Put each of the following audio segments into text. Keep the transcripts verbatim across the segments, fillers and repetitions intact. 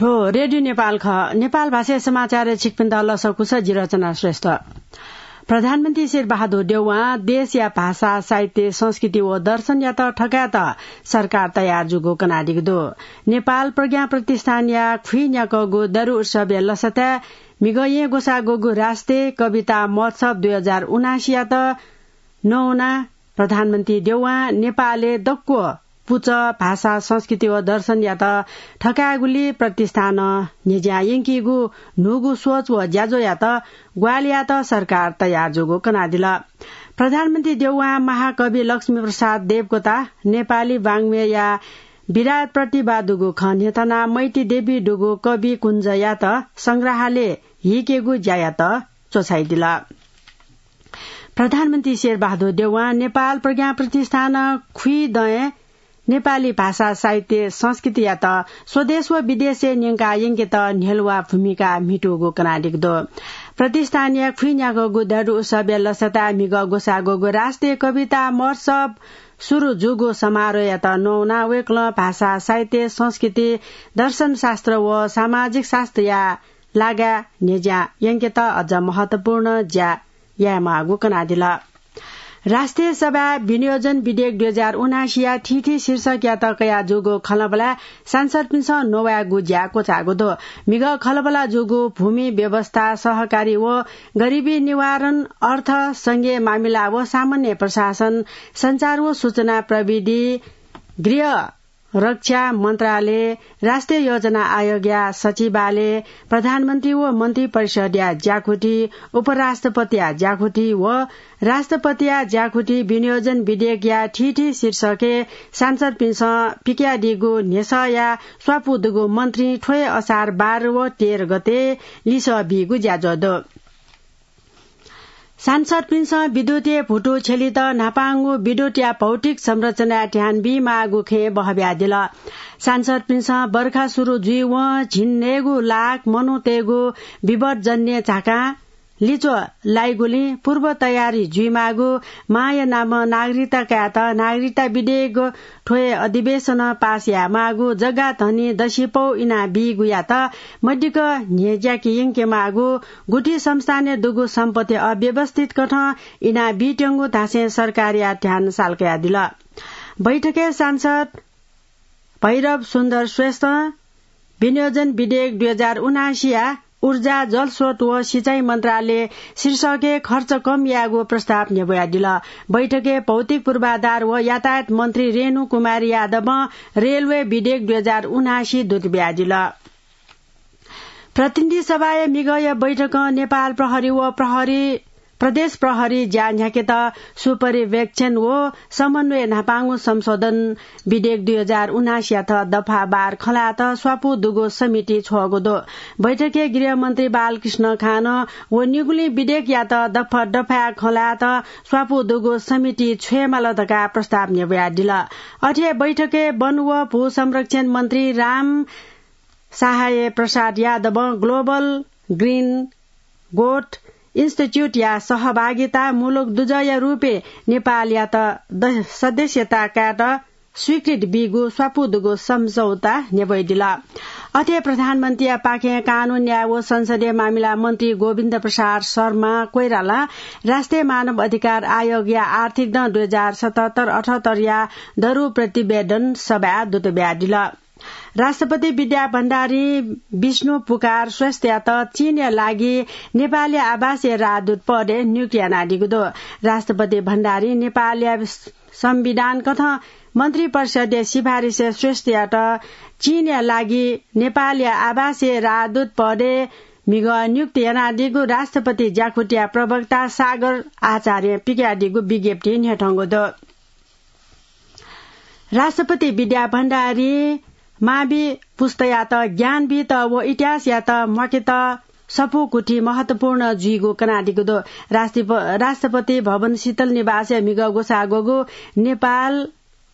थ्व रेडियो नेपाल खः। नेपाल भाषाया समाचारय् छिकपिन्त लसकुस, जि रचना श्रेष्ठ। प्रधानमन्त्री शेरबहादुर देउवां देशया भाषा, साहित्य, संस्कृति व दर्शनयात थकायेत सरकार तयार जूगु कनादीगु दु। नेपाल प्रज्ञा प्रतिष्ठानया खुइन्याकःगु दरु उत्सवया लसताय् म्हिगः येँ ग्वसाः ग्वःगु राष्ट्रिय कविता महोत्सव दुई हजार उनासीयात नवानाः प्रधानमन्त्री देउवां नेपालय् दक्व पुचः, भाषा, संस्कृति व दर्शनयात थकायेगुली प्रतिष्ठानं न्ह्यज्यां यंकीगु न्हूगु सोच व ज्याझ्वःयात ग्वाहालि यायेत सरकार तयार जूगु कनादिल। प्रधानमन्त्री देउवां महाकवि लक्ष्मीप्रसाद देवकोटा, नेपाली वाङ्मयया विराट प्रतिभा दुगु खँ न्ह्यथनाः मैती देवी दुगु कवि कुञ्जयात संग्रहालय हीकेगु ज्यायात च्वछाइदिल। प्रधानमन्त्री शेरबहादुर देउवां नेपाल प्रज्ञा प्रतिष्ठानं खुइदँय् नेपाली भाषा, साहित्य, संस्कृतियात स्वदेश व विदेशय् न्यंका यंकेत न्ह्यलुवा भूमिका म्हितूगु कनादीगु दु। प्रतिष्ठानया खुइन्याकःगु दरु उत्सवया लसताय् म्हिगः ग्वसाः ग्वःगु राष्ट्रिय कविता महोत्सव सुरु जूगु समारोहयात नवानाः वय्कलं भाषा, साहित्य, संस्कृति, दर्शनशास्त्र व सामाजिक शास्त्रया लागाय् न्ह्यज्यां यंकेत अझ महत्वपूर्ण ज्या यायेमाःगु कनादिल। राष्ट्रिय सभाय् विनियोजन विधेयक दुई हजार उनासीया थीथी शीर्षकयात कयाजूगु खँल्हाबल्हाय् सांसदपिन्सं नवायेगु ज्या क्वचाःगु दु। म्हिगः खँल्हाबल्हा जूगु भूमि व्यवस्था, सहकारी व गरिबी निवारण, अर्थ, संघीय मामिला व सामान्य प्रशासन, सञ्चार व सूचना प्रविधि, गृह रक्षा मन्त्रालय, राष्ट्रिय योजना आयोगया सचिवालय, प्रधानमन्त्री व मन्त्री परिषदया ज्याकुथि, उपराष्ट्रपतिया ज्याकुथि व राष्ट्रपतिया ज्याकुथि विनियोजन विधेयकया थीथी शीर्षकय् सांसदपिन्सं पिकयादीगु न्ह्यसःया स्वापू दुगु मन्त्रीं थ्व हे असार बाह्र व तेह्र गते लिसः बीगु ज्याझ्वः दु। सांसदपिन्सं विद्युतया भुतु छ्यलित न्हापांगु विद्युतया भौतिक संरचनाय् ध्यान बीमाःगु खँय् बहब्यादिल। सांसदपिन्सं बर्खा सुरु जुइवं झिंन्हय्गू लाख मनूतय्गु विपदजन्य झाकां लिच्वः लाइगुलिं पूर्व तयारी जुइमाःगु, मांया नामं नागरिकता कायेत नागरिकता विधेयक थ्व हे अधिवेशनं पास यायेमाःगु, जग्गा धनी दसिपौ इनाबीगुयात मदिक्क न्ह्यज्याके यंकेमाःगु, गुथि संस्थानय् दुगु सम्पत्ति अव्यवस्थित कथं इनाबीत्यंगु धासें सरकारया ध्यान साल कयादिल। बैठकय् सांसद भैरव सुन्दर श्रेष्ठं विनियोजन विधेयक दुई हजार उनासीया ऊर्जा, जलस्रोत व सिँचाइ मन्त्रालय शीर्षकय् खर्च कम यायेगु प्रस्ताव न्ह्यब्वयादिल। बैठकय् भौतिक पूर्वाधार व यातायात मन्त्री रेणु कुमारी यादवं रेलवे विधेयक दुई हजार उनासी दूत बियादिल। प्रतिनिधि सभाया म्हिगःया बैठकं नेपाल प्रहरी व प्रहरी, प्रदेश प्रहरी ज्या न्ह्याकेत सुपर्यवेक्षण व समन्वय न्हापांगु संशोधन विधेयक दुई हजार उनासीयात दफा बाह्र खँल्हायेत स्वापू दुगु समिति छ्वःगु दु। बैठकय् गृहमन्त्री बालकृष्ण खान व निगुलिं विधेयकयात दफा दफाय् खँल्हायेत स्वापू दुगु समिति छ्वयेमाल धकाः प्रस्ताव न्ह्यब्वयादिल। अथे बैठकय् वन व भू संरक्षण मन्त्री राम सहाय प्रसाद यादवं Global Green Growth Instituteया सहभागितामूलक दुजःया रूपय् नेपालयात द-, सदस्यता कायेत स्वीकृति बीगु स्वापू दुगु सम्झौता न्ह्यब्वयादिल। अथे प्रधानमन्त्रीया पाखें कानून, न्याय व संसदीय मामिला मन्त्री गोविन्द प्रसाद शर्मा कोइरालां राष्ट्रिय मानव अधिकार आयोगया आर्थिक दँ दुई हजार सतहत्तर अठहत्तरया दरु प्रतिवेदन सभाय् दूत बियादिल। राष्ट्रपति विद्या भण्डारीं विष्णु पुकार श्रेष्ठयात चीनया लागि नेपालया आवासीय राजदूत पदय् नियुक्ति यानादीगु दु। राष्ट्रपति भण्डारीं नेपालया संविधान कथं मन्त्री परिषदया सिफारिसय् श्रेष्ठयात चीनया लागि नेपालया आवासीय राजदूत पदय् म्हिगः नियुक्ति यानादीगु राष्ट्रपति ज्याकुथिया प्रवक्ता सागर आचार्यं पिकयादीगु विज्ञप्तिइ न्ह्यथंगु दु। राष्ट्रपति विद्या भण्डारीं मावि पुस्तायात ज्ञान बीत व इतिहासयात म्वाकेत सफू गुथि महत्वपूर्ण जुइगु कनादीगु दु। राष्ट्रप-, राष्ट्रपति भवन शीतल निवासय् म्हिगः ग्वसाः ग्वःगु नेपाल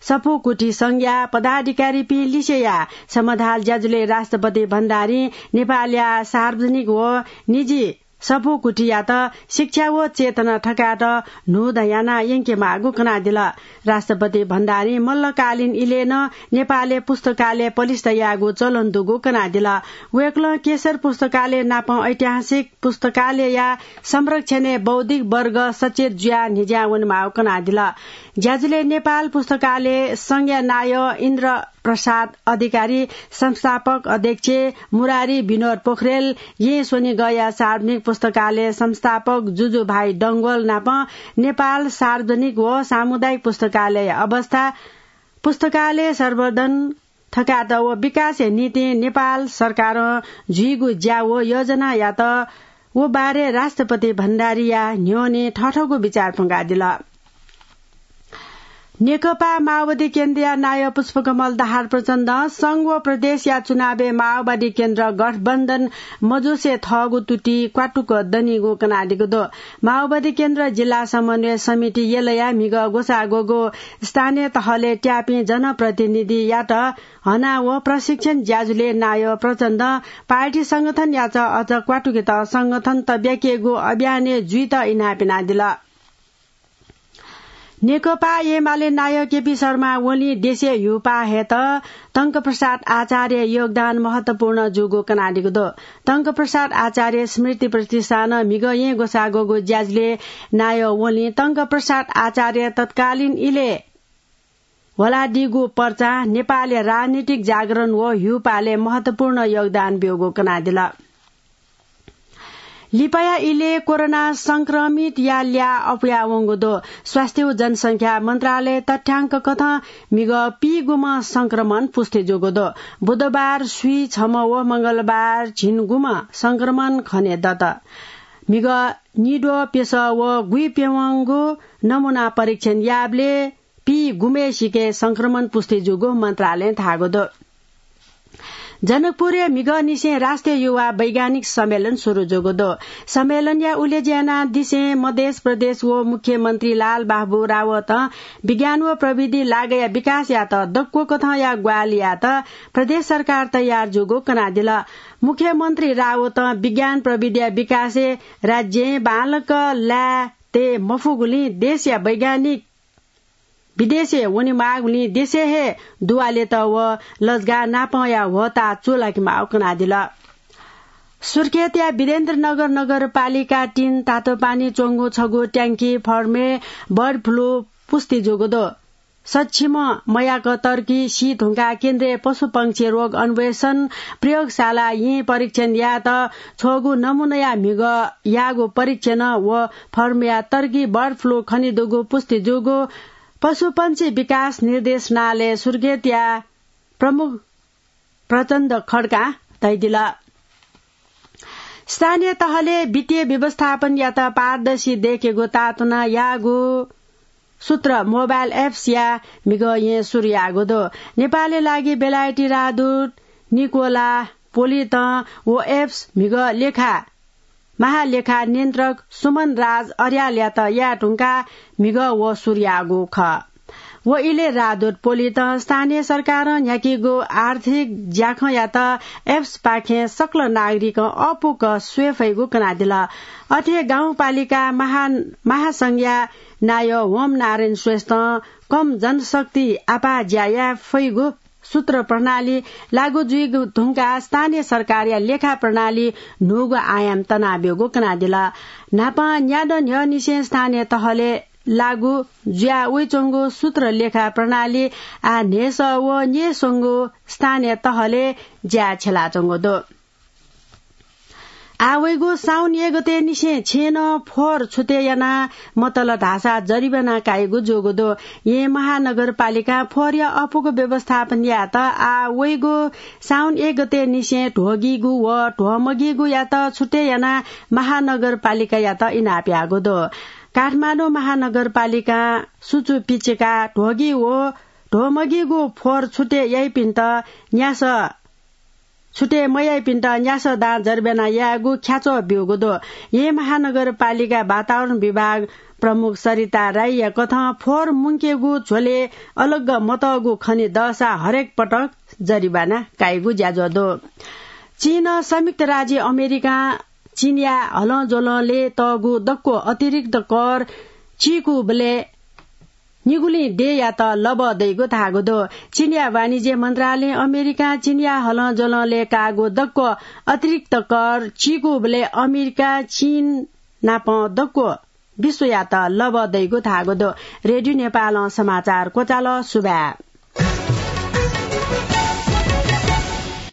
सफू गुथि संघया पदाधिकारीपिं लिसेया समधाल ज्याझ्वलय् राष्ट्रपति भण्डारीं नेपालया सार्वजनिक व निजी सफू गुथियात शिक्षा व चेतना थकायेत न्हूदँ याना यंकेमाःगु कनादिल। राष्ट्रपति भण्डारी मल्लकालीन इलय् नं नेपालय् पुस्तकालय पलिस्था यायेगु चलन दुगु कनादिल। वय्कलं केशर पुस्तकालय नाप ऐतिहासिक पुस्तकालयया संरक्षणय् बौद्धिक वर्ग सचेत जुयाः न्हिज्यां वनेमाःगु कनादिल। ज्याझ्वलय् नेपाल पुस्तकालय संघया नायः इन्द्र प्रसाद अधिकारी, संस्थापक अध्यक्ष मुरारी विनोद पोखरेल, येँ स्वनिगःया सार्वजनिक पुस्तकालय संस्थापक जुजुभाइ डंगोल नाप नेपाल सार्वजनिक व सामुदायिक पुस्तकालय अवस्था, पुस्तकालय संवर्धन थकायेत व विकासया निंतिं नेपाल सरकारं जुइगु ज्या व योजनायात व बारे राष्ट्रपति भण्डारीया न्ह्यःने थःथःगु विचार प्वंकादिल। नेकपा माओवादी केन्द्रया नायः पुष्पकमल दाहाल प्रचण्डं संघ व प्रदेशया चुनावय् माओवादी केन्द्र गठबन्धन मजुसे थःगु तुति क्वातुक दनिगु कनादिगु दु। माओवादी केन्द्र जिल्ला समन्वय समिति यलया म्हिगः ग्वसाः ग्वःगु स्थानीय तहलय् त्याःपिं जनप्रतिनिधियात हना व प्रशिक्षण ज्याझ्वलय् नायः प्रचण्डं पार्टी संगठनयात अझ क्वातुकेत संगठन तब्याकेगु अभियानय् जुइत इनाप यानादिल। नेकपा एमाले नायः केपी शर्मा ओलीं देशय् ह्यूपाः हयेत टंकप्रसाद आचार्य योगदान महत्वपूर्ण जूगु कनादिगु दु। टंकप्रसाद आचार्य स्मृति प्रतिष्ठानं म्हिगः येँ ग्वसाः ग्वःगु ज्याझ्वलय् नायः ओलीं टंकप्रसाद आचार्य तत्कालीन इलय् ह्वलादीगु पर्चां नेपालया राजनीतिक जागरण व ह्यूपालय् महत्वपूर्ण योगदान ब्यूगु कनादिल। लिपाया इलय् कोरोना संक्रमितया ल्याः अप्वयावंगु दु। स्वास्थ्य व जनसंख्या मन्त्रालय तथ्याङ्क कथं म्हिगः पीगुम्ह संक्रमण पुष्टि जूगु दु। बुधबार स्वीछम्ह व मंगलबार झिंगुम्ह संक्रमण खनेदत। म्हिगः निद्वः प्यसः व गुइप्यवंगु नमूना परीक्षण याःबलय् पीगुम्हय्सिके संक्रमण पुष्टि जूगु मन्त्रालयं धाःगु दु। जनकपुरय् म्हिगःनिसें राष्ट्रिय युवा वैज्ञानिक सम्मेलन सुरु जूगु दु। सम्मेलनया उलेज्या यानादिसें मधेस प्रदेश व मुख्यमन्त्री लालबाबु रावतं विज्ञान व प्रविधि लागःया विकासयात दक्व कथंया ग्वाहालि यायेत प्रदेश सरकार तयार जूगु कनादिल। मुख्यमन्त्री रावतं विज्ञान प्रविधिया विकासय् राज्यं बांलाक लाये तये मफुगुलिं देशया वैज्ञानिक विदेशय् वनेमाःगुलिं देशय् हे दुवालेत व लजगाः नापंया ह्वःताः चूलाकेमाःगु कनादिल। सुर्खेतया वीरेन्द्रनगर नगरपालिका तीन तातोपानी च्वंगु छगू ट्याङ्की फर्मय् बर्ड फ्लू पुष्टि जूगु दु। सक्षम मयाक तर्की सी धुंकाः केन्द्रीय पशुपंक्षी रोग अन्वेषण प्रयोगशालां परीक्षण यायेत छ्वःगु नमूनाया म्हिगः याःगु परीक्षणं व फर्मया तर्की बर्ड फ्लू खनेदुगु पुष्टि जूगु पशुपंक्षी विकास निर्देशनालय सुर्खेतया प्रमुख प्रचण्ड खड्कां धयादिल। स्थानीय तहलय् वित्तीय व्यवस्थापनयात पारदर्शी दयेकेगु ताःतुना याःगु सूत्र मोबाइल एप्सया म्हिगः येँ सुरु याःगु दु। नेपालया लागि बेलायती राजदूत निकोला पोलितं व एप्स म्हिगः लेखा महालेखा नियन्त्रक सुमन राज अर्यालयात याये धुंकाः म्हिगः व सुरु याःगु खः। व इलय् राजदूत पोलितं स्थानीय सरकारं न्ह्याकीगु आर्थिक ज्याखँयात एप्सपाखें सकल नागरिकं अःपुक स्वये फइगु कनादिल। अथे गाउँपालिका महा-, महासंघया नायः होम नारायण श्रेष्ठं कम जनशक्ति आपाः ज्या याये फइगु सूत्र प्रणाली लागू जुइगु धुंकाः स्थानीय सरकारया लेखा प्रणाली न्हूगु आयाम तनाब्यूगु कनादिल। न्हापां न्यादँ न्ह्यःनिसें स्थानीय तहलय् लागू जुया वइच्वंगु सूत्र लेखा प्रणाली आः न्हय्सः व न्यय्स्वंगु स्थानीय तहलय् ज्या छ्यलाच्वंगु दु। आः वइगु साउन एक गतेनिसें छेँनं फोहोर छुटे याना मतल धाःसा जरिवाना काइगु जूगु दु। येँ महानगरपालिकां फोहोरया अःपुक व्यवस्थापन यायेत आः वइगु साउन एक गतेनिसें ध्वगीगु व ध्वमगीगुयात छुटे याना महानगरपालिकायात इनाप याःगु दु। काठमाडौं महानगरपालिकां सुचु पिचिका ध्वगी व ध्वमगीगु फोहोर छुटे याइपिन्त न्यासः छुटे मयाइपिन्त न्यासः दां जरिवाना यायेगु ख्याच्वः ब्यूगु दु। येँ महानगरपालिका वातावरण विभाग प्रमुख सरिता राईया कथं फोहोर मुंकेगु झ्वलय् अलग मतःगु खने दःसा हरेक पटक जरिवाना काइगु ज्याझ्वः दु। चीनं संयुक्त राज्य अमेरिकां चीनया हलंज्वलंलय् तःगु दक्व अतिरिक्त कर चीकूबलय् निगुलिं देय्‌यात लबः दइगु धाःगु दु। चीनया वाणिज्य मन्त्रालयं अमेरिकां चीनया हलंज्वलंलय् काःगु दक्व अतिरिक्त कर चीकूबलय् अमेरिकां चीन नाप दक्व विश्वयात लबः दइगु धाःगु दु। रेडियो नेपालं समाचार क्वचाल। सुभाय्।